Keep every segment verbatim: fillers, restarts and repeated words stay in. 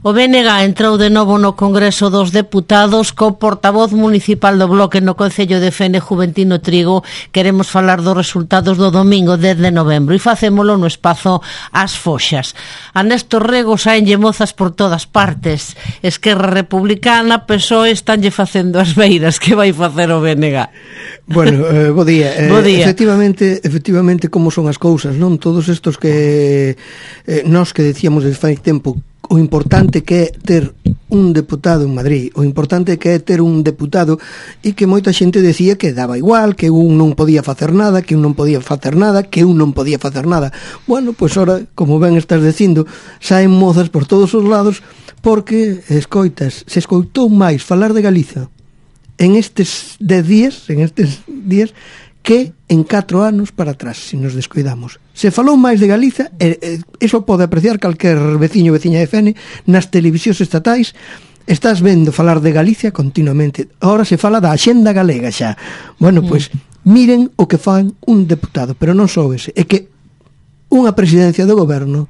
O B N G entrou de novo no Congreso dos Deputados co portavoz municipal do Bloque no Concello de Fene, Juventino Trigo. Queremos falar dos resultados do domingo dez de novembro e facémolo no espazo As Foxas. A Néstor Rego saenlle mozas por todas partes. Esquerra Republicana, P S O E estanlle facendo as beiras. Que vai facer o B N G? Bueno, eh, bo día. Eh, bo día. Efectivamente, efectivamente como son as cousas, non? Todos estos que eh, nós que decíamos desde fai tempo, o importante que é ter un deputado en Madrid, o importante que é ter un deputado, e que moita xente decía que daba igual, que un non podía facer nada, que un non podía facer nada, que un non podía facer nada. Bueno, pois ora, como ben estás dicindo, saen mozas por todos os lados, porque escoitas, se escoitou máis falar de Galiza en estes dez días, en estes días, que en catro anos para atrás, se nos descuidamos. Se falou máis de Galiza, e, e, eso pode apreciar calquer veciño ou veciña de Fene, nas televisións estatais, estás vendo falar de Galicia continuamente. Ahora se fala da Axenda Galega xa. Bueno, pois, miren o que fan un deputado, pero non só ese, é que unha presidencia do goberno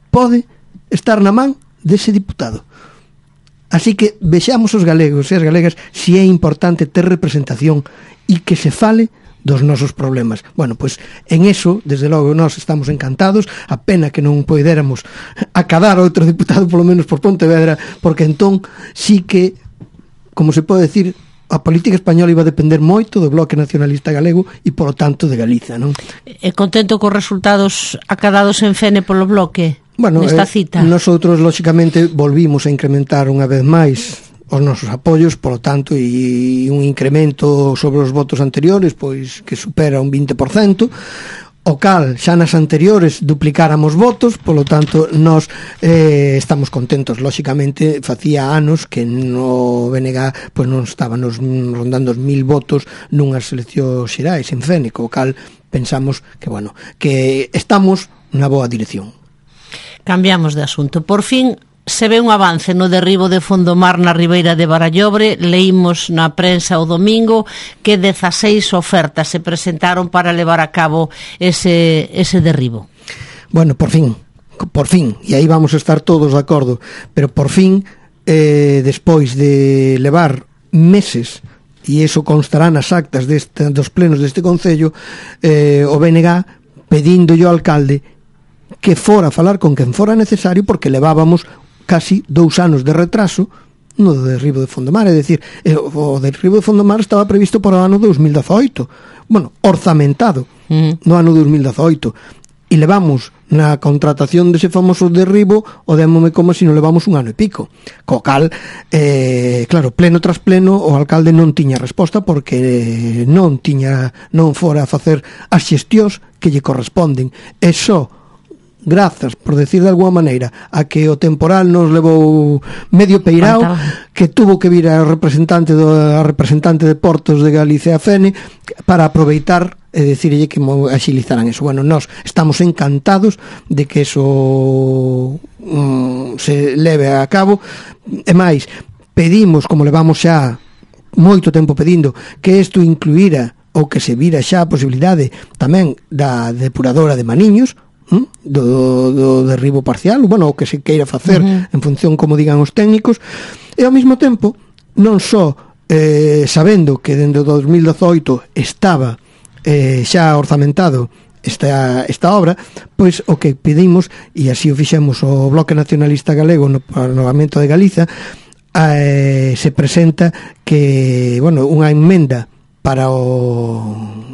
pode estar na man dese diputado. Así que vexamos os galegos e as galegas si é importante ter representación e que se fale dos nosos problemas. Bueno, pois en eso, desde logo, nós estamos encantados. A pena que non poidéramos acadar outro diputado, polo menos por Pontevedra, porque entón sí que, como se pode decir, a política española iba a depender moito do Bloque Nacionalista Galego e, polo tanto, de Galiza, non? E contento cos resultados acadados en Fene polo Bloque? Bueno, nesta eh, cita. Nosotros, lóxicamente, volvimos a incrementar unha vez máis os nosos apoios, polo tanto, e un incremento sobre os votos anteriores, pois que supera un vinte por cento, o cal xa nas anteriores duplicáramos votos, polo tanto, nós eh, estamos contentos. Lóxicamente, facía anos que no B N G pois non estaban rondando os mil votos nunhas eleccións xerais en Fene, o cal pensamos que, bueno, que estamos na boa dirección. Cambiamos de asunto. Por fin se ve un avance no derribo de Fondomar na Ribeira de Barallobre. Leímos na prensa o domingo que dezaseis ofertas se presentaron para levar a cabo ese, ese derribo. Bueno, por fin, por fin, e aí vamos a estar todos de acordo, pero por fin, eh, despois de levar meses, e iso constará nas actas deste, dos plenos deste Concello, eh, o B N G pedíndolle ao alcalde que fora a falar con quen fora necesario, porque levábamos casi dous anos de retraso no derribo de Fondomar. É dicir, o derribo de Fondomar estaba previsto para o ano dos mil dezoito, bueno, orzamentado uh-huh. no ano dos mil dezoito, e levamos na contratación dese famoso derribo o démome como se non levamos un ano e pico, co cal eh, claro, pleno tras pleno o alcalde non tiña resposta, porque non tiña, non fora a facer as xestións que lle corresponden, e só grazas, por decir de alguma maneira, a que o temporal nos levou medio peirao, que tuvo que vir a representante do a representante de Portos de Galicia a Fene para aproveitar e decirlle que axilizaran eso. Bueno, nós estamos encantados de que eso um, se leve a cabo, e máis, pedimos, como levamos xa moito tempo pedindo, que isto incluíra ou que se vira xa a posibilidade tamén da depuradora de Maniños, Do, do derribo parcial, bueno, o que se queira facer uh-huh. en función como digan os técnicos, e ao mesmo tempo non só eh, sabendo que dende o dos mil dezoito estaba eh, xa orzamentado esta, esta obra, pois o que pedimos, e así o fixemos o Bloque Nacionalista Galego no Parlamento de Galiza, eh, se presenta que, bueno, unha emenda para o,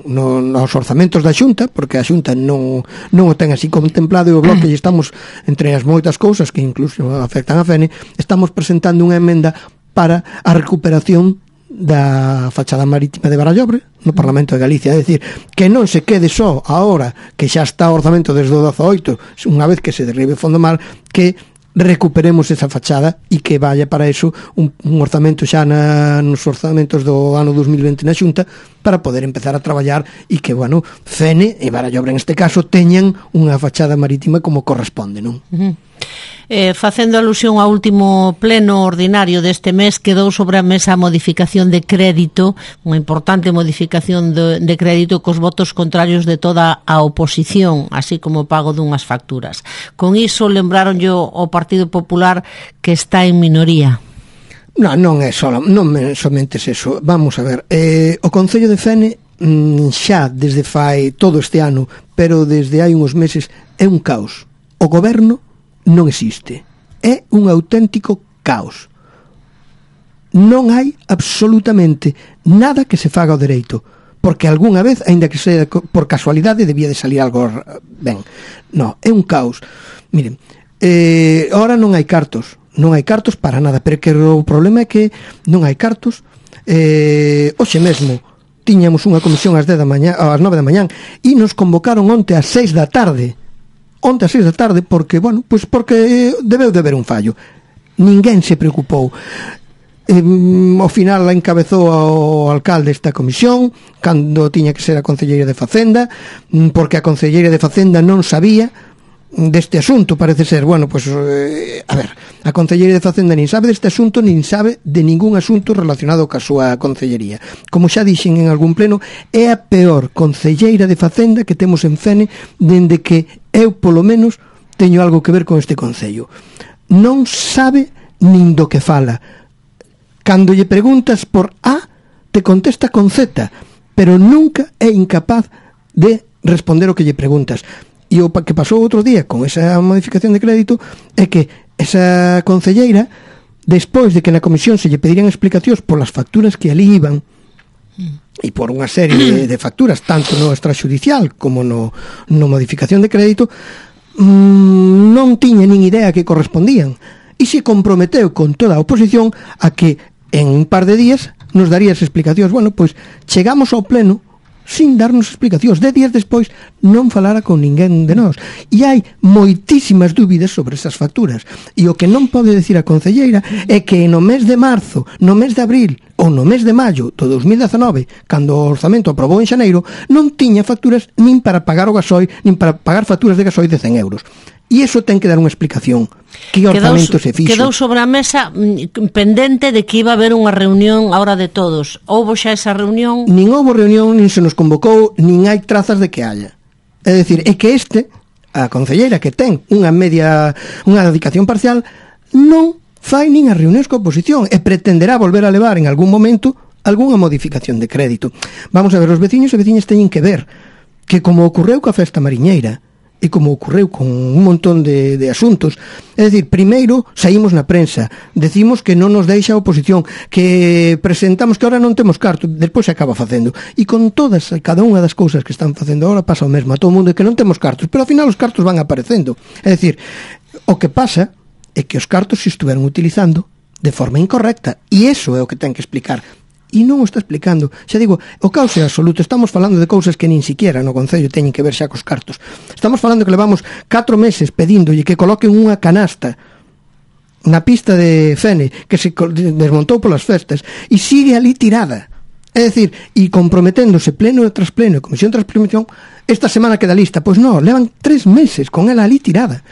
no, nos orzamentos da Xunta, porque a Xunta non, non o ten así contemplado, e o Bloque lle estamos, entre as moitas cousas que incluso afectan a Fene, estamos presentando unha emenda para a recuperación da fachada marítima de Barallobre no Parlamento de Galicia, é dicir, que non se quede só agora que xa está o orzamento desde o dezoito, unha vez que se derribe Fondomar, que recuperemos esa fachada e que vaya para eso un, un orzamento xa na, nos orzamentos do ano dos mil vinte na Xunta, para poder empezar a traballar e que, bueno, Fene e Barallobre en este caso teñan unha fachada marítima como corresponde, non? Uh-huh. Eh, facendo alusión ao último pleno ordinario deste mes, quedou sobre a mesa a modificación de crédito, unha importante modificación de, de crédito cos votos contrarios de toda a oposición, así como o pago dunhas facturas. Con iso lembraron yo ao Partido Popular que está en minoría. Non, non é só, non é somente eso. Vamos a ver, eh, o Concello de Fene xa desde fai todo este ano, pero desde hai uns meses é un caos. O goberno non existe. É un auténtico caos. Non hai absolutamente nada que se faga ao dereito, porque algunha vez, aínda que sea por casualidade, debía de salir algo ben. Non, é un caos. Miren, eh, ahora non hai cartos, non hai cartos para nada, pero que o problema é que non hai cartos. Eh, hoxe mesmo tiñamos unha comisión ás dez da mañá, ás nove da mañán, e nos convocaron onte ás seis da tarde. Onte ás seis da tarde, porque, bueno, pois porque debeu de haber un fallo. Ninguén se preocupou. Eh, ao final la encabezou ao alcalde esta comisión, cando tiña que ser a concelleira de Facenda, porque a concelleira de Facenda non sabía deste asunto, parece ser. Bueno, pois, eh, a ver, a concelleira de Facenda nin sabe deste asunto, nin sabe de ningún asunto relacionado ca súa concellería. Como xa dixen en algún pleno, é a peor concelleira de Facenda que temos en Fene dende que eu, polo menos, teño algo que ver con este concello. Non sabe nin do que fala. Cando lle preguntas por A, te contesta con Z, pero nunca é incapaz de responder o que lle preguntas. E o que pasou outro día con esa modificación de crédito é que esa concelleira, despois de que na comisión se lle pedirían explicacións por las facturas que ali iban, e por unha serie de, de facturas, tanto no extrajudicial como no, no modificación de crédito, mmm, non tiña nin idea que correspondían, e se comprometeu con toda a oposición a que en un par de días nos daría as explicacións. Bueno, pois chegamos ao pleno sin darnos explicacións. De días despois non falara con ninguén de nós. E hai moitísimas dúbidas sobre esas facturas. E o que non pode decir a concelleira é que no mes de marzo, no mes de abril ou no mes de maio do dos mil dezanove, cando o orzamento aprobou en xaneiro, non tiña facturas nin para pagar o gasoil, nin para pagar facturas de gasoil de cen euros. E iso ten que dar unha explicación. Que orzamento se fixo? Quedou sobre a mesa pendente de que iba a haber unha reunión a hora de todos. Houbo xa esa reunión? Nin houbo reunión, nin se nos convocou, nin hai trazas de que haya. É dicir, é que este, a concelleira que ten unha media, unha dedicación parcial, non fai nin as reunións coa oposición e pretenderá volver a levar en algún momento algunha modificación de crédito. Vamos a ver, os veciños e veciñas teñen que ver que, como ocorreu coa festa mariñeira, e como ocorreu con un montón de, de asuntos, é dicir, primeiro saímos na prensa, decimos que non nos deixa a oposición, que presentamos que ahora non temos carto, despois se acaba facendo, e con todas, cada unha das cousas que están facendo ahora pasa o mesmo a todo o mundo, que non temos cartos, pero ao final os cartos van aparecendo. É dicir, o que pasa é que os cartos se estuveron utilizando de forma incorrecta, e iso é o que ten que explicar. E non o está explicando. Xa digo, o caos é absoluto. Estamos falando de cousas que nin siquiera no Concello teñen que ver xa cos cartos. Estamos falando que levamos catro meses pedíndolle que coloquen unha canasta na pista de Fene que se desmontou polas festas e sigue ali tirada. É dicir, e comprometéndose pleno tras pleno, comisión tras comisión, esta semana queda lista. Pois non, levan tres meses con ela ali tirada.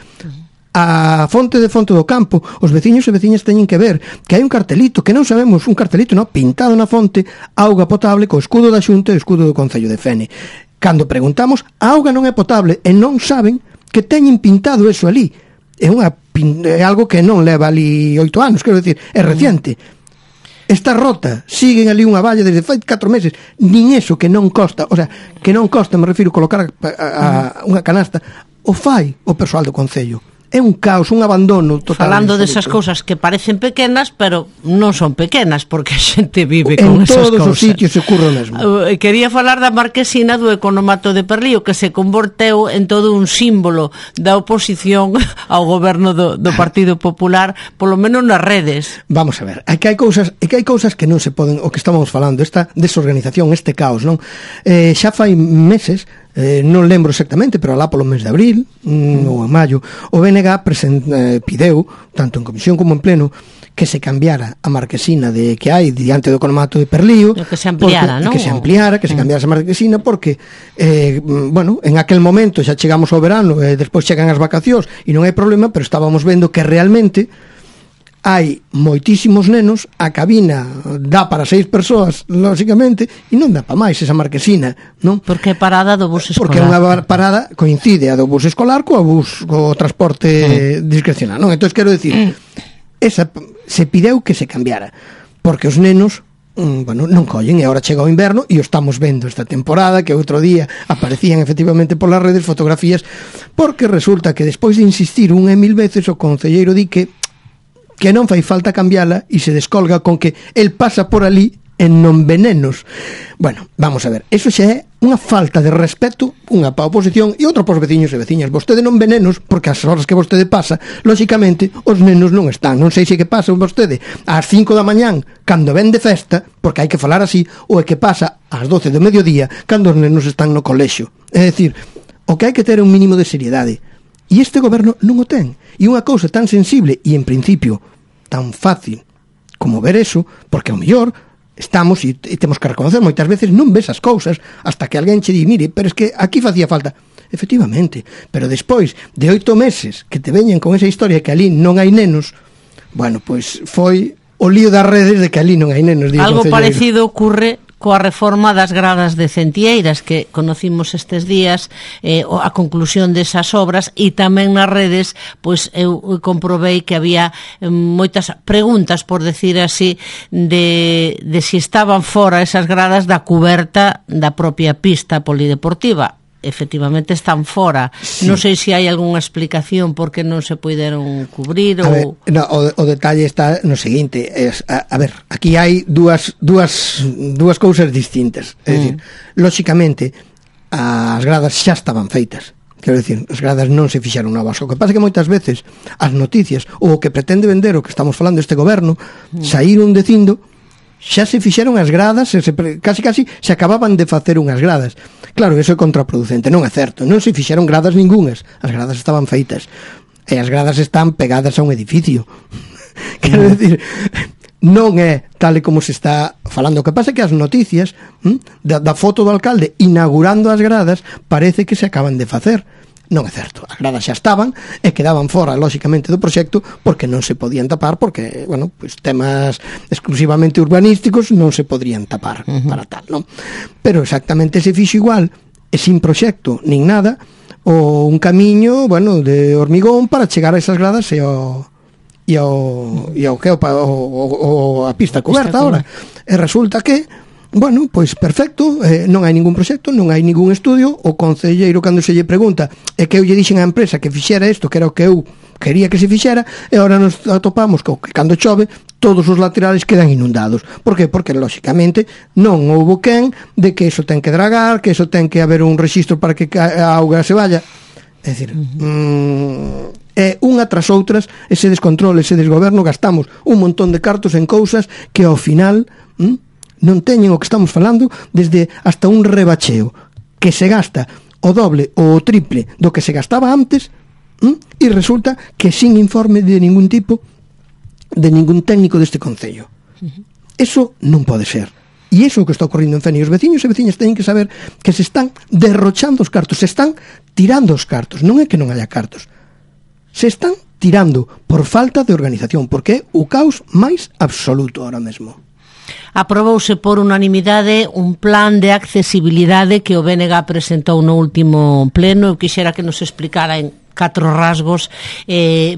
A fonte de Fonte do Campo, os veciños e veciñas teñen que ver que hai un cartelito, que non sabemos, un cartelito, non, pintado na fonte, auga potable co escudo da Xunta e o escudo do Concello de Fene. Cando preguntamos, a auga non é potable e non saben que teñen pintado eso ali. É unha é algo que non leva ali oito anos, quero decir, é reciente. Está rota, siguen ali unha valla desde fai catro meses, nin eso que non costa, o sea, que non costa, me refiro, colocar a, a, a unha canasta, o fai o persoal do Concello. É un caos, un abandono total. Falando desas cousas que parecen pequenas, pero non son pequenas, porque a xente vive con en esas cousas. En todos os sitios se ocurre o mesmo. Uh, quería falar da marquesina do economato de Perlío, que se converteu en todo un símbolo da oposición ao goberno do, do Partido Popular, polo menos nas redes. Vamos a ver, é que hai cousas, é que hai cousas que non se poden, o que estamos falando, esta desorganización, este caos, non? Eh, xa fai meses eh, non lembro exactamente, pero alá polo mes de abril mm, ou en maio, o B N G present, eh, pideu, tanto en comisión como en pleno, que se cambiara a marquesina de que hai diante do colmato de Perlío, que se ampliara, porque, ¿no? que se ampliara, que se cambiara esa marquesina, porque eh, bueno, en aquel momento xa chegamos ao verano e eh, despois chegan as vacacións e non hai problema, pero estábamos vendo que realmente hai moitísimos nenos, a cabina dá para seis persoas, lógicamente, e non dá para máis esa marquesina, non? Porque é parada do bus escolar. Porque é unha parada, coincide a do bus escolar co bus, co transporte mm. discrecional, non? Entón, quero dicir, mm. esa se pideu que se cambiara, porque os nenos mm, bueno, non collen, e agora chega o inverno e o estamos vendo esta temporada, que outro día aparecían efectivamente polas redes fotografías, porque resulta que despois de insistir unha e mil veces o concelleiro di que que non fai falta cambiala e se descolga con que el pasa por ali en non venenos. Bueno, vamos a ver, eso xa é unha falta de respeto, unha pa oposición e outra pos veciños e veciñas. Vostede non venenos, porque as horas que vostede pasa, lógicamente, os nenos non están. Non sei se que pasa vostede ás cinco da mañán, cando ven de festa, porque hai que falar así, ou é que pasa ás doce do mediodía, cando os nenos están no colexio. É dicir, o que hai que ter é un mínimo de seriedade. E este goberno non o ten. E unha cousa tan sensible e, en principio, tan fácil como ver eso, porque ao mellor estamos e, e temos que reconocer moitas veces non ves as cousas hasta que alguén che di, mire, pero es que aquí facía falta. Efectivamente, pero despois de oito meses que te veñen con esa historia que ali non hai nenos, bueno, pois foi o lío das redes de que ali non hai nenos. Algo parecido ocurre coa reforma das gradas de Centieiras que conocimos estes días, eh, a conclusión desas obras, e tamén nas redes pois eu comprobei que había eh, moitas preguntas, por decir así, de, de si estaban fora esas gradas da cuberta da propia pista polideportiva. Efectivamente están fora. Sí. Non sei se hai algunha explicación por que non se puideron cubrir ou... Ver, no, o, o detalle está no seguinte, es, a, a ver, aquí hai dúas dúas dúas cousas distintas. É mm. dicir, lóxicamente as gradas xa estaban feitas. Quero dicir, as gradas non se fixaron novas. O que pasa é que moitas veces as noticias ou o que pretende vender o que estamos falando este goberno mm. saíron dicindo xa se fixeron as gradas, se, casi casi se acababan de facer unhas gradas. Claro, eso é contraproducente, non é certo, non se fixeron gradas ningunhas, as gradas estaban feitas, e as gradas están pegadas a un edificio. Quero dicir, non é tal e como se está falando. O que pasa é que as noticias hm, da, da foto do alcalde inaugurando as gradas parece que se acaban de facer. Non é certo, as gradas xa estaban e quedaban fora, lóxicamente, do proxecto porque non se podían tapar, porque, bueno, pues, temas exclusivamente urbanísticos non se podrían tapar uh-huh. para tal, non? Pero exactamente se fixo igual e sin proxecto nin nada, o un camiño, bueno, de hormigón para chegar a esas gradas e ao e ao e ao que o, o, o a pista coberta agora. E resulta que bueno, pois perfecto, eh, non hai ningún proxecto, non hai ningún estudio. O concelleiro, cando se lle pregunta, é que eu lle dixen á empresa que fixera isto, que era o que eu quería que se fixera, e agora nos atopamos que cando chove todos os laterales quedan inundados. Por que? Porque, lóxicamente, non houbo quen de que eso ten que dragar, que eso ten que haber un rexistro para que a auga se vaya. É dicir, uh-huh. mmm, é unha tras outras ese descontrol, ese desgoberno, gastamos un montón de cartos en cousas que ao final... Mmm, non teñen o que estamos falando, desde hasta un rebacheo que se gasta o doble ou o triple do que se gastaba antes, ¿m? E resulta que sin informe de ningún tipo, de ningún técnico deste concello. Eso non pode ser. E iso é o que está ocorrendo en Fene. E os veciños e veciñas teñen que saber que se están derrochando os cartos, se están tirando os cartos. Non é que non haya cartos, se están tirando por falta de organización, porque é o caos máis absoluto ahora mesmo. Aprobouse por unanimidade un plan de accesibilidade que o B N G presentou no último pleno. Eu quixera que nos explicara en catro rasgos eh,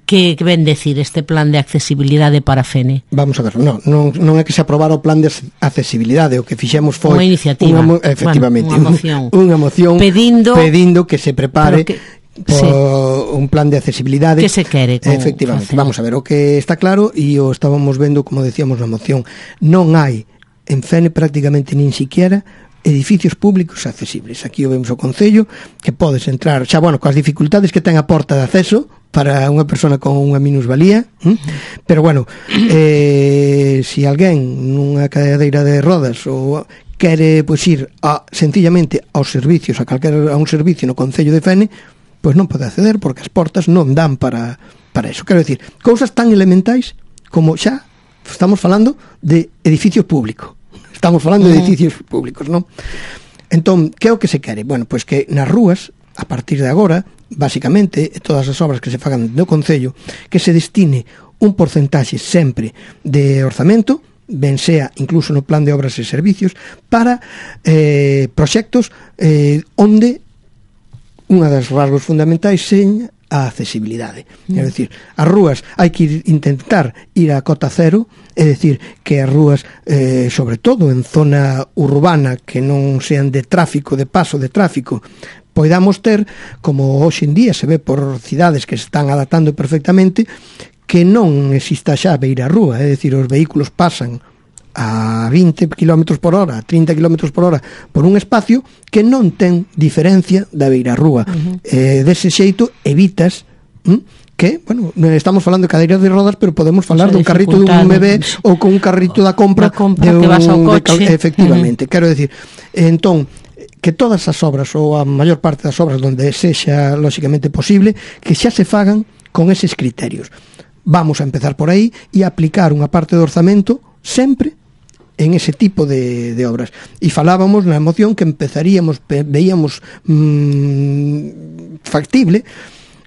que, que ven decir este plan de accesibilidade para Fene. Vamos a ver, non, non, non é que se aprobara o plan de accesibilidade, o que fixemos foi unha iniciativa, unha, efectivamente, bueno, unha moción, unha moción pedindo, pedindo que se prepare por sí. un plan de accesibilidade que se quere con efectivamente, facer. Vamos a ver, o que está claro e o estábamos vendo, como decíamos na moción, non hai en Fene prácticamente nin siquiera edificios públicos accesibles. Aquí o vemos o Concello, que podes entrar xa, bueno, coas dificultades que ten a porta de acceso para unha persona con unha minusvalía, ¿eh? Pero bueno, eh, si alguén nunha cadeira de rodas ou quere pois ir a, sencillamente aos servicios, a calquera a un servicio no Concello de Fene, pois non pode acceder porque as portas non dan para, para eso. Quero dicir, cousas tan elementais como xa estamos falando de edificios públicos. Estamos falando de edificios públicos, non? Entón, que é o que se quere? Bueno, pois que nas rúas, a partir de agora, basicamente, todas as obras que se fagan no Concello, que se destine un porcentaxe sempre de orzamento, ben sea incluso no plan de obras e servicios, para eh, proxectos eh, onde unha das rasgos fundamentais seña a accesibilidade. Mm. É dicir, as rúas hai que ir, intentar ir a cota cero, é dicir, que as rúas, eh, sobre todo en zona urbana, que non sean de tráfico, de paso de tráfico, poidamos ter, como hoxe en día se ve por cidades que se están adaptando perfectamente, que non exista xa beira rúa, é dicir, os vehículos pasan a vinte kilómetros por hora, a trinta kilómetros por hora por un espacio que non ten diferencia da beira rúa. Uh-huh. Eh, dese xeito evitas hm, que, bueno, estamos falando de cadeiras de rodas, pero podemos falar dun carrito dun M B ou con un carrito da compra, compra de un, que vas ao coche. De, efectivamente, uh-huh. Quero decir, entón, que todas as obras ou a maior parte das obras onde sexa lóxicamente posible, que xa se fagan con eses criterios. Vamos a empezar por aí e aplicar unha parte do orzamento sempre en ese tipo de, de obras. E falábamos na moción que empezaríamos, veíamos mmm, factible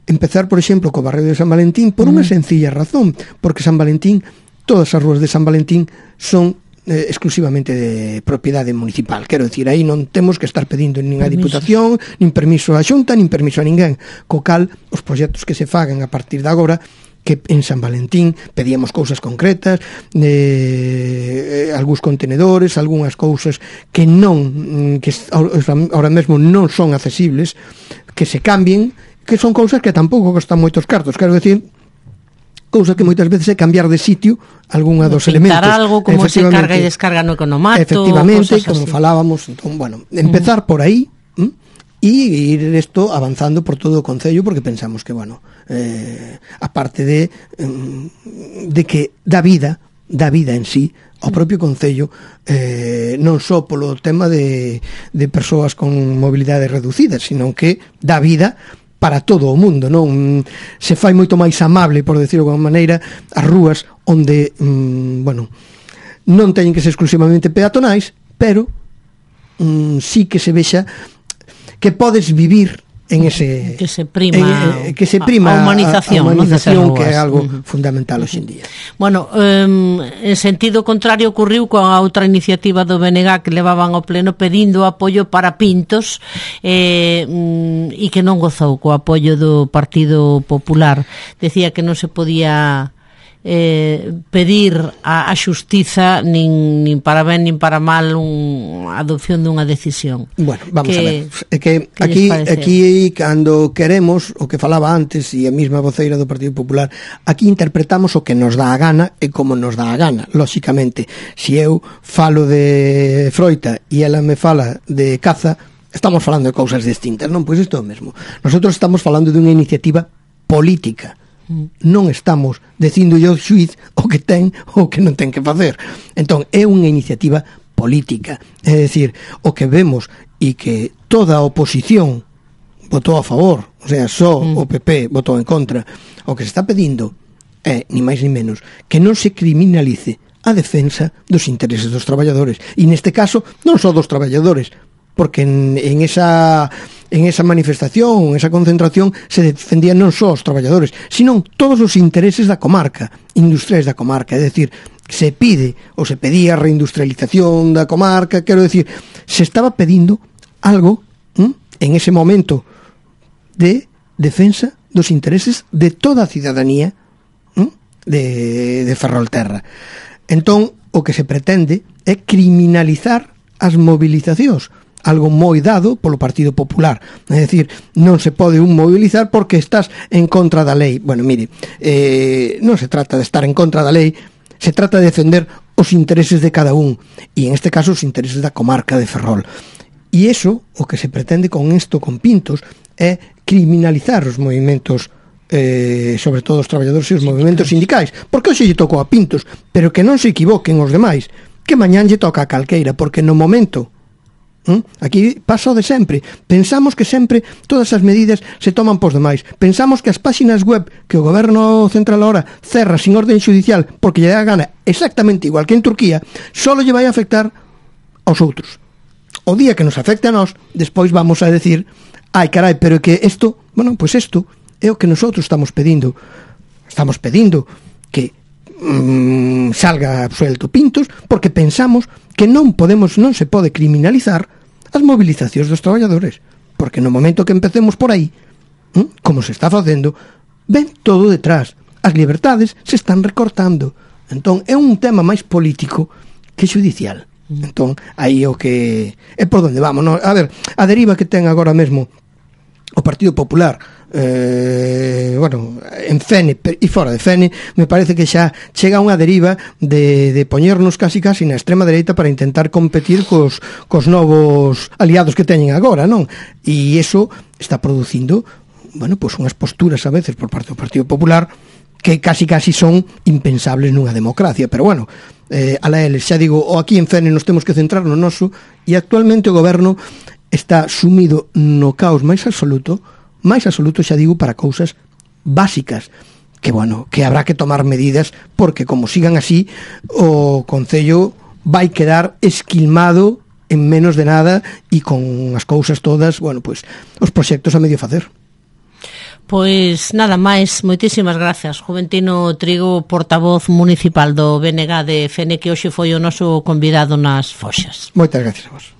empezar, por exemplo, co barrio de San Valentín por unha sencilla razón, porque San Valentín, todas as rúas de San Valentín son eh, exclusivamente de propiedade municipal. Quero dicir, aí non temos que estar pedindo nin a Diputación, nin permiso a Xunta, nin permiso a ninguén. Co cal, os proxectos que se fagan a partir de agora, que en San Valentín pedíamos cousas concretas, eh, algúns contenedores, algunhas cousas que non, que ahora mesmo non son accesibles, que se cambien, que son cousas que tampouco costan moitos cartos, quero decir, cousa que moitas veces é cambiar de sitio algunha dos pintar elementos. Pintar algo como se carga e descarga no economato. Efectivamente, como así. Falábamos, entón, bueno, empezar mm. por aí, ¿m? E ir isto avanzando por todo o Concello, porque pensamos que, bueno, eh, aparte de de que dá vida, dá vida en sí ao propio Concello, eh, non só polo tema de, de persoas con mobilidade reducida, sino que dá vida para todo o mundo, non? Se fai moito máis amable, por decirlo de alguma maneira, as rúas onde, mm, bueno, non teñen que ser exclusivamente peatonais, pero mm, sí que se vexa que podes vivir en ese que se prima eh, que se prima a humanización, a, a humanización, no, que é algo uh-huh. fundamental hoxe en día. Bueno, um, en sentido contrario ocurriu coa outra iniciativa do B N G que levaban ao pleno pedindo apoio para Pintos eh, um, e que non gozou co apoio do Partido Popular. Decía que non se podía eh, pedir a, a xustiza nin, nin para ben nin para mal un, a adopción dunha decisión. Bueno, vamos que, a ver. É que, que aquí, aquí cando queremos, o que falaba antes e a mesma voceira do Partido Popular, aquí interpretamos o que nos dá a gana e como nos dá a gana. Lóxicamente, se eu falo de froita e ela me fala de caza, estamos falando de cousas distintas, non? Pois isto é o mesmo. Nosotros estamos falando de unha iniciativa política. Non estamos dicindo yo xuiz o que ten ou que non ten que facer. Entón, é unha iniciativa política. É dicir, o que vemos e que toda a oposición votou a favor, o sea, só mm. o P P votou en contra, o que se está pedindo é, ni máis ni menos, que non se criminalice a defensa dos intereses dos traballadores. E neste caso, non só dos traballadores, porque en, en esa en esa manifestación, en esa concentración se defendían non só os traballadores, sino todos os intereses da comarca, industriais da comarca, é dicir, se pide ou se pedía a reindustrialización da comarca, quero dicir, se estaba pedindo algo ¿m? en ese momento de defensa dos intereses de toda a cidadanía ¿m? de, de Ferrolterra. Entón, o que se pretende é criminalizar as movilizacións, algo moi dado polo Partido Popular. É dicir, non se pode un mobilizar porque estás en contra da lei. Bueno, mire, eh, non se trata de estar en contra da lei, se trata de defender os intereses de cada un, e en este caso os intereses da comarca de Ferrol. E iso, o que se pretende con isto, con Pintos, é criminalizar os movimentos, eh, sobre todo os traballadores e os movimentos sindicais, porque hoxe lle tocou a Pintos, pero que non se equivoquen os demais, que mañán lle toca a calqueira, porque no momento ¿Mm? Aquí pasa o de sempre. Pensamos que sempre todas as medidas se toman pos demais. Pensamos que as páxinas web que o goberno central ahora cerra sin orden xudicial porque lle dá gana exactamente igual que en Turquía, solo lle vai a afectar aos outros. O día que nos afecte a nós, despois vamos a decir, ai carai, pero que isto, bueno, pois pues isto é o que nosotros estamos pedindo. Estamos pedindo que mmm, salga absuelto Pintos, porque pensamos que non podemos, non se pode criminalizar as movilizacións dos traballadores, porque no momento que empecemos por aí, ¿eh? como se está facendo, ven todo detrás, as liberdades se están recortando. Entón é un tema máis político que xudicial. Entón aí o que é por onde vamos, no? A ver, a deriva que ten agora mesmo o Partido Popular, eh, bueno, en Fene e fora de Fene, me parece que xa chega unha deriva de, de poñernos casi casi na extrema dereita para intentar competir cos, cos novos aliados que teñen agora, non? E iso está producindo, bueno, pois unhas posturas a veces por parte do Partido Popular que casi casi son impensables nunha democracia, pero bueno, eh, ala eles, xa digo, o aquí en Fene nos temos que centrar no noso, e actualmente o goberno está sumido no caos máis absoluto, máis absoluto, xa digo, para cousas básicas, que, bueno, que habrá que tomar medidas, porque como sigan así, o Concello vai quedar esquilmado en menos de nada e con as cousas todas, bueno, pois, os proxectos a medio facer. Pois nada máis, moitísimas gracias. Juventino Trigo, portavoz municipal do B N G de Fene, que hoxe foi o noso convidado nas Foxas. Moitas gracias a vos.